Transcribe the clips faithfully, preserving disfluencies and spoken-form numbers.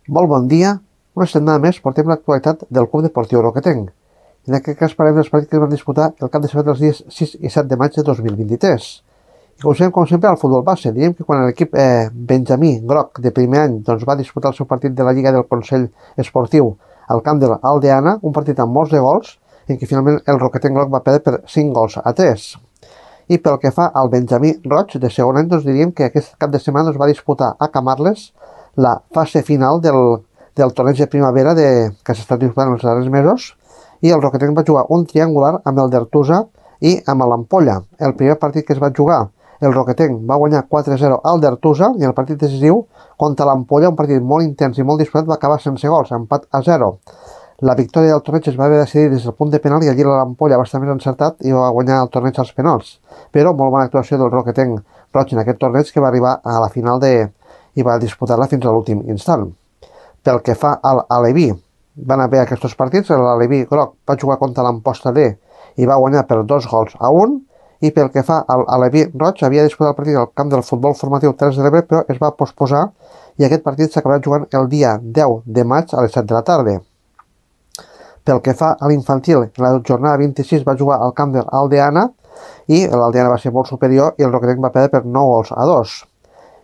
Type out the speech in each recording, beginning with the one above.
Molt bon dia. Una setmana més portem l'actualitat del Club Deportiu Roquetenc. En aquest cas parlem dels partits que es van disputar el cap de setmana dels dies sis i set de maig de dos mil vint-i-tres. I comencem, com sempre, al futbol base. Diem que quan l'equip eh, Benjamí Groc de primer any doncs, va disputar el seu partit de la Lliga del Consell Esportiu al camp de l'Aldeana, un partit amb molts de gols, en què finalment el Roquetenc Groc va perdre per cinc gols a tres. I pel que fa al Benjamí Roig de segon any, doncs diríem que aquest cap de setmana doncs, va disputar a Camarles la fase final del, del torneig de primavera de, que s'ha estat disputant els darrers mesos, i el Roquetenc va jugar un triangular amb el d'Artusa i amb l'Ampolla. El primer partit que es va jugar, el Roquetenc va guanyar quatre a zero al d'Artusa, i el partit decisiu contra l'Ampolla, un partit molt intens i molt disputat, va acabar sense gols, empat a zero. La victòria del torneig es va haver decidir des del punt de penal, i allí l'Ampolla va estar més encertat i va guanyar el torneig als penals. Però molt bona actuació del Roquetenc Roig en aquest torneig, que va arribar a la final de i va disputar-la fins a l'últim instant. Pel que fa a l'Aleví, van haver aquests partits. L'Aleví Groc va jugar contra l'Amposta D i va guanyar per dos gols a un, i pel que fa a l'Aleví Roig, havia disputat el partit al camp del futbol formatiu Terres de l'Ebre, però es va posposar, i aquest partit s'acabarà jugant el dia deu de maig a les set de la tarda. Pel que fa a l'infantil, la jornada vint-i-sis va jugar al camp de l'Aldeana, i l'Aldeana va ser molt superior i el Roquetenc va perdre per nou gols a dos.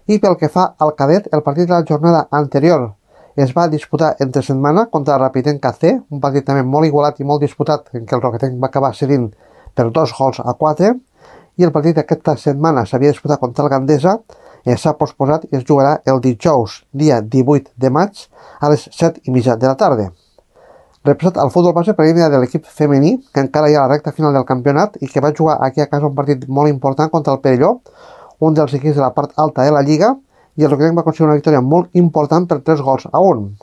I pel que fa al cadet, el partit de la jornada anterior es va disputar entre setmana contra el Rapidenc C, un partit també molt igualat i molt disputat, en què el Roquetenc va acabar cedint per dos gols a quatre, i el partit d'aquesta setmana s'havia disputat contra el Gandesa, eh, s'ha posposat i es jugarà el dijous, dia divuit de maig, a les set i mitja de la tarda. Representat al futbol base per de l'equip femení, que encara hi ha a la recta final del campionat i que va jugar aquí a casa un partit molt important contra el Perelló, un dels equips de la part alta de la Lliga, i el Roquetenc va aconseguir una victòria molt important per tres gols a un.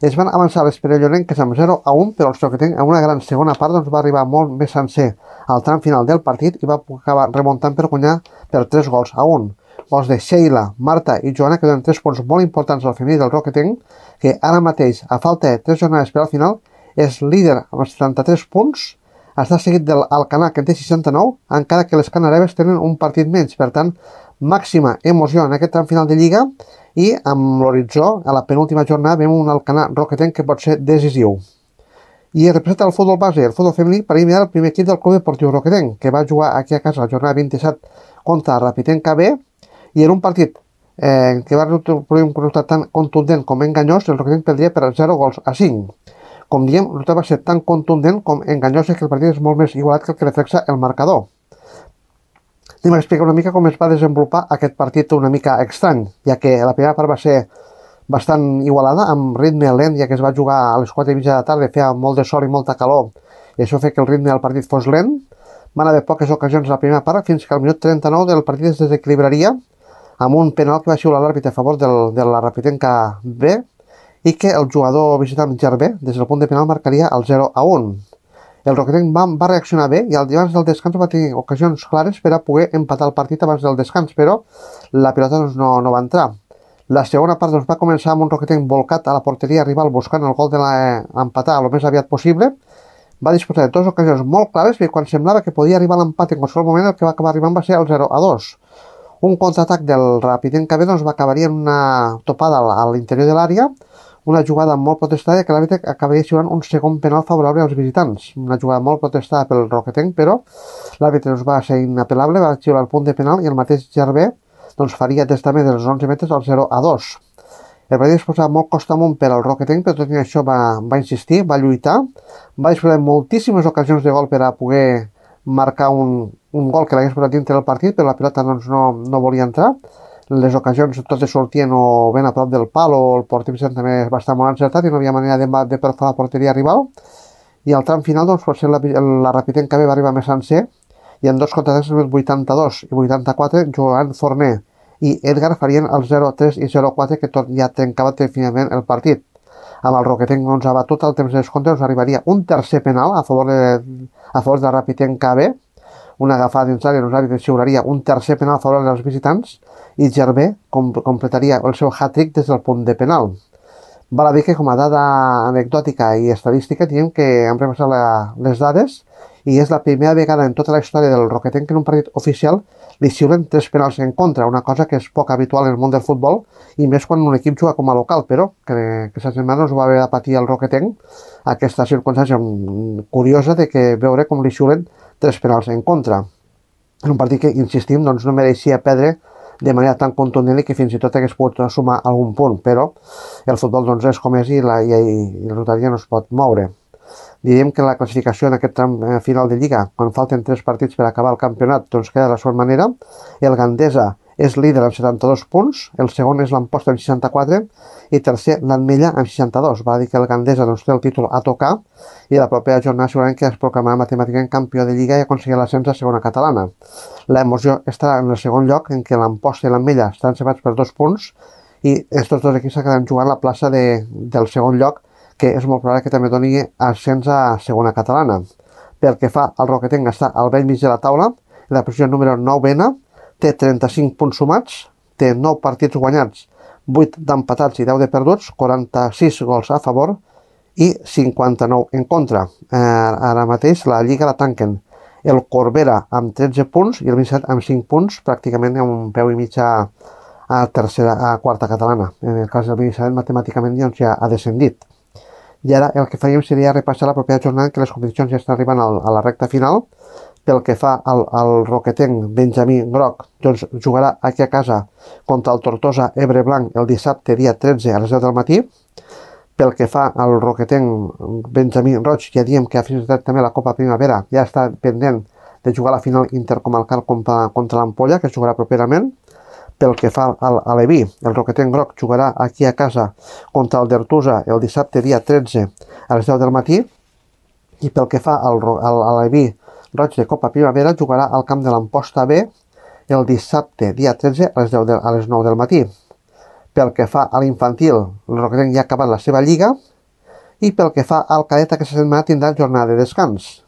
Es van avançar les perellonenques amb zero a un, però el Roquetenc en una gran segona part doncs, va arribar molt més sencer al tram final del partit i va acabar remuntant per guanyar per tres gols a un. Gols de Sheila, Marta i Joana, que donen tres punts molt importants al femení del Roquetenc, que ara mateix, a falta de tres jornades per al final, és líder amb els setanta-tres punts, està seguit del Alcanar, que en té seixanta-nou, encara que les canareves tenen un partit menys. Per tant, màxima emoció en aquest tram final de Lliga, i amb l'horitzó, a la penúltima jornada, veiem un Alcanar Roquetenc que pot ser decisiu. I representa el futbol base, el futbol femení, per imitar el primer equip del Club Deportiu Roquetenc, que va jugar aquí a casa la jornada vint-i-set contra Rapidenc B, i en un partit eh, que va produir un resultat tan contundent com enganyós, el Roquetenc perdria per zero gols a cinc. Com diem, el resultat va ser tan contundent com enganyós, que el partit és molt més igualat que el que reflexa el marcador. Anem a explicar una mica com es va desenvolupar aquest partit una mica estrany, ja que la primera part va ser bastant igualada, amb ritme lent, ja que es va jugar a les quatre i mitja de la tarda, feia molt de sol i molta calor, i això feia que el ritme del partit fos lent. Van haver poques ocasions a la primera part, fins que al minut trenta-nou del partit es desequilibraria, amb un penal que va xiular l'àrbitre a favor del, de la Rapidenc B, i que el jugador visitant Gervé, des del punt de penal, marcaria el zero a un. El Roquetenc va, va reaccionar bé, i abans del descans va tenir ocasions clares per a poder empatar el partit abans del descans, però la pilota doncs, no, no va entrar. La segona part doncs, va començar amb un Roquetenc volcat a la porteria rival buscant el gol de l'empatar el més aviat possible. Va disposar de dues ocasions molt clares, i quan semblava que podia arribar a l'empat en qualsevol moment, el que va acabar arribant va ser el zero a dos. Un contraatac del Rapidenc B doncs, va acabar en una topada a l'interior de l'àrea, una jugada molt protestada, que l'àrbitre acabaria xiulant un segon penal favorable als visitants. Una jugada molt protestada pel Roquetenc, però l'àrbitre doncs, va ser inapel·lable, va xiular el punt de penal, i el mateix Gervé doncs, faria des també dels onze metres al zero a dos. El partit es posava molt costa amunt per al Roquetenc, però tot i això va, va insistir, va lluitar, va disposar de moltíssimes ocasions de gol per a poder marcar un, un gol que l'hagués posat dintre del partit, però la pilota doncs, no, no volia entrar. Les ocasions totes sortien o ben a prop del pal, o el porter visitant també va estar molt encertat i no havia manera de, de perforar la porteria rival. I al tram final, doncs, potser la, la Rapidenc B va arribar més sencer, i en dos contraatacs, el vuitanta-dos i vuitanta-quatre, Joan Forner i Edgar farien el zero a tres i zero a quatre, que tot ja trencava definitivament el partit. Amb el Roquetenc doncs, abatut al temps de descompte, doncs, arribaria un tercer penal a favor de, a favor de Rapidenc B, una agafada dins l'àrea, l'àrbitre xiularia un tercer penal a favor dels visitants, i Gervé com, completaria el seu hat-trick des del punt de penal. Val a dir que, com a dada anecdòtica i estadística, diem que hem repassat la, les dades, i és la primera vegada en tota la història del Roquetenc que en un partit oficial li xiulen tres penals en contra, una cosa que és poc habitual en el món del futbol i més quan un equip juga com a local, però que aquesta setmana us va haver de patir el Roquetenc aquesta circumstància curiosa de que veure com li xiulen tres penals en contra. En un partit que, insistim, doncs no mereixia perdre de manera tan contundent i que fins i tot hagués pogut sumar algun punt, però el futbol doncs és com és i la, i, i la loteria no es pot moure. Diríem que la classificació en aquest tram final de Lliga, quan falten tres partits per acabar el campionat, doncs queda de la següent manera. El Gandesa és líder amb setanta-dos punts, el segon és l'Amposta amb seixanta-quatre i tercer l'Ametlla amb seixanta-dos. Va dir que el Gandesa doncs, té el títol a tocar i la propera jornada segurament que es proclamarà matemàticament campió de Lliga i aconseguirà l'ascens a segona catalana. L'emoció estarà en el segon lloc, en què l'Amposta i l'Ametlla estan separats per dos punts i aquests dos equips acabaran jugant la plaça de, del segon lloc, que és molt probable que també doni ascens a segona catalana. Pel que fa al Roquetenc, està al vell mig de la taula, en la posició número novena, té trenta-cinc punts sumats, té nou partits guanyats, vuit d'empatats i deu de perduts, quaranta-sis gols a favor i cinquanta-nou en contra. Eh, ara mateix la Lliga la tanquen el Corbera amb tretze punts i el Vincent amb cinc punts, pràcticament un peu i mig a, a, tercera, a quarta catalana. En el cas del Vincent, matemàticament doncs, ja ha descendit. I ara el que faríem seria repassar la propera jornada, que les competicions ja estan arribant al, a la recta final. Pel que fa al, al Roquetenc, Benjamí Groc, doncs jugarà aquí a casa contra el Tortosa Ebre Blanc el dissabte dia tretze a les deu del matí. Pel que fa al Roquetenc, Benjamí Roig, ja diem que ha finalitzat també la Copa Primavera, ja està pendent de jugar la final intercomarcal contra, contra l'Ampolla, que es jugarà properament. Pel que fa al, a l'Eví, el Roquetenc Groc jugarà aquí a casa contra el Dertusa el dissabte dia tretze a les deu del matí. I pel que fa al, al, a l'Eví Roig de Copa Primavera, jugarà al camp de l'Amposta B el dissabte dia tretze a les, deu de, a les nou del matí. Pel que fa a l'infantil, el Roquetenc ja ha acabat la seva lliga. I pel que fa al cadet, aquesta setmana tindrà jornada de descans.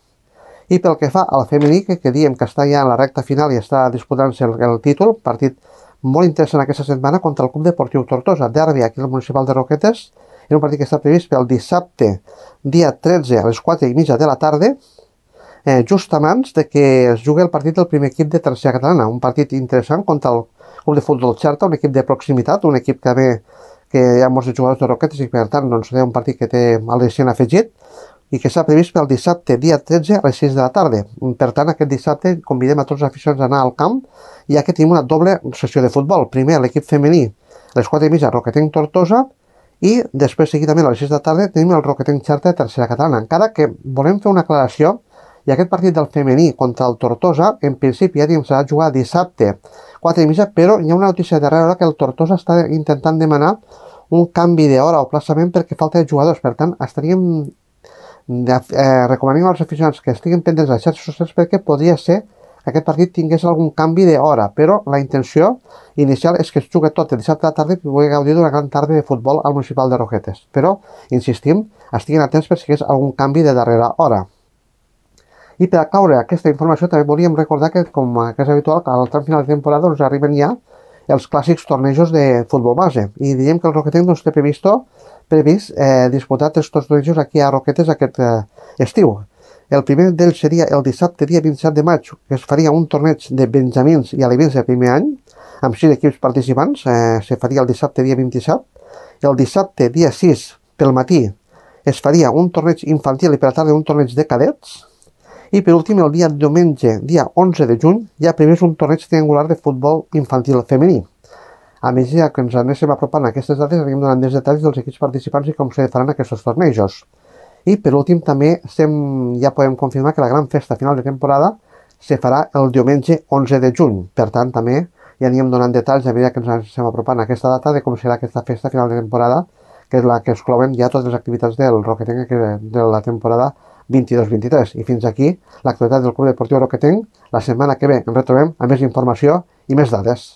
I pel que fa al femení, que, que diem que està ja en la recta final i està disputant-se el, el títol, partit molt interessant aquesta setmana contra el Club Deportiu Tortosa, derbi aquí al municipal de Roquetes, en un partit que està previst pel dissabte, dia tretze a les quatre i mitja de la tarda, eh, just abans de que es jugui el partit del primer equip de tercera catalana, un partit interessant contra el Club de Futbol Xerta, un equip de proximitat, un equip que ve que hi ha molts jugadors de Roquetes i per tant doncs, és un partit que té al·licient afegit i que s'ha previst pel dissabte, dia tretze, a les sis de la tarda. Per tant, aquest dissabte convidem a tots els aficionats a anar al camp, ja que tenim una doble sessió de futbol. Primer, l'equip femení, a les quatre i mitja, Roquetenc Tortosa, i després, seguidament, a les sis de la tarda, tenim el Roquetenc Xerta de tercera catalana. Encara que volem fer una aclaració, i aquest partit del femení contra el Tortosa, en principi, ja diem, serà jugar dissabte, quatre i mitja, però hi ha una notícia darrere que el Tortosa està intentant demanar un canvi d'hora o plaçament perquè falta de jugadors. Per tant, estaríem De, eh, recomanem als aficionats que estiguin pendents de les xarxes socials perquè podria ser que aquest partit tingués algun canvi d'hora, però la intenció inicial és que es jugui tot el dissabte a la tarda i pugui gaudir d'una gran tarda de futbol al municipal de Roquetes. Però, insistim, estiguin atents per si hi hagués algun canvi de darrera hora. I per a caure aquesta informació també volíem recordar que, com que és habitual, al tram final de temporada ens arriben ja els clàssics tornejos de futbol base. I diríem que el Roquetenc doncs, té previst previst eh, disputar aquests tornejos aquí a Roquetes aquest eh, estiu. El primer d'ells seria el dissabte, dia vint-i-set de maig, que es faria un torneig de benjamins i alevins de primer any, amb sis equips participants, eh, se faria el dissabte, dia vint-i-set. El dissabte, dia sis, pel matí, es faria un torneig infantil i per la tarda un torneig de cadets. I per últim, el dia diumenge, dia onze de juny, hi ha previst un torneig triangular de futbol infantil femení. A més, ja que ens anéssim apropant a aquestes dates, anirem donant més detalls dels equips participants i com se faran aquests tornejos. I per últim, també estem, ja podem confirmar que la gran festa final de temporada se farà el diumenge onze de juny. Per tant, també ja anirem donant detalls a mesura que ens anéssim apropant a aquesta data de com serà aquesta festa final de temporada, que és la que exclouen ja totes les activitats del Roquetenc de la temporada vint-i-dos vint-i-tres. I fins aquí l'actualitat del Club Deportiu Roquetenc. La setmana que ve ens retrobem amb més informació i més dades.